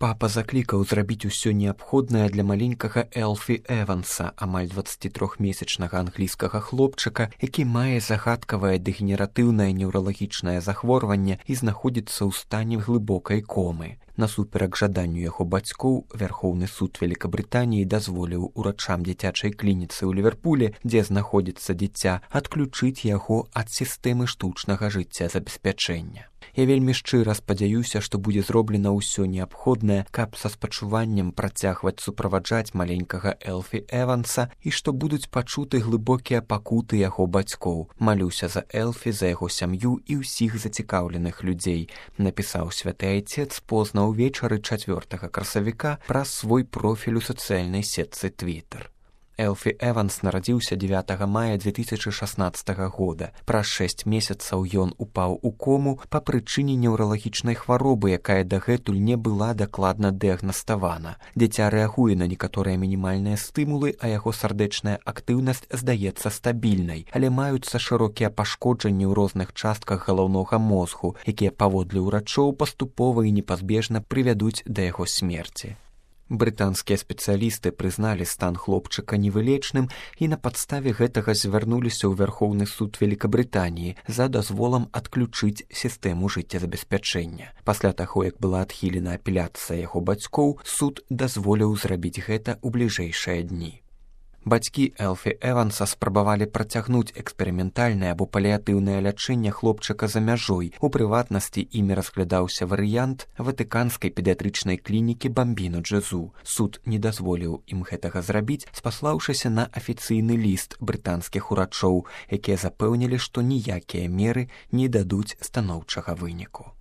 Папа заклікаў зрабіць усё неабходнае для маленькага Элфі Эванса, амаль 23-месячнага англійскага хлопчыка, які мае загадкавае дэгенератыўнае неўралагічнае захворванне і знаходзіцца ў стане глыбокай комы. Насуперак жаданню яго бацькоў, Вярхоўны суд Вялікабрытаніі дазволіў урачам дзіцячай клініцы ў Ліверпулі, дзе знаходзіцца дзіця, адключыць яго ад сістэмы штучнага жыццязабеспячэння. Я вельмі шчыра спадзяюся, што будзе зроблена ўсё неабходнае, каб са спачуваннем працягваць суправаджаць маленькага Элфі Эванса і што будуць пачуты глыбокія пакуты яго бацькоў. Малюся за Элфі, за яго сям'ю і ўсіх зацікаўленых людзей, напісаў святы айцец позна ўвечары 4 красавіка праз свой профіль у сацыяльнай сетцы Twitter. Элфі Эванс нарадзіўся 9 мая 2016 года. Праз 6 месяцаў ён упаў у кому па прычыне неўралагічнай хваробы, якая дагэтуль не была дакладна дыягнаставана. Дзіця рэагуе на некаторыя мінімальныя стымулы, а яго сардэчная актыўнасць здаецца стабільнай, але маюцца шырокія пашкоджанні ў розных частках галаўнога мозгу, якія паводле ўрачоў паступова і непазбежна прывядуць да яго смерці. Брытанскія спецыялісты прызналі стан хлопчыка невылечным і на падставе гэтага звярнуліся ў Вярхоўны суд Вялікабрытаніі за дазволам адключыць сістэму жыццезабеспячэння. Пасля таго, як была адхілена апеляцыя яго бацькоў, суд дазволіў зрабіць гэта ў бліжэйшыя дні. Бацькі Элфі Эванса спрабавалі працягнуць эксперыментальнае або паліятыўнае лячэнне хлопчыка за мяжой. У прыватнасці імі разглядаўся варыянт ватыканскай педыятрычнай клінікі Бамбіно Джезу. Суд не дазволіў ім гэтага зрабіць, спаслаўшыся на афіцыйны ліст брытанскіх урачоў, якія запэўнілі, што ніякія меры не дадуць станоўчага выніку.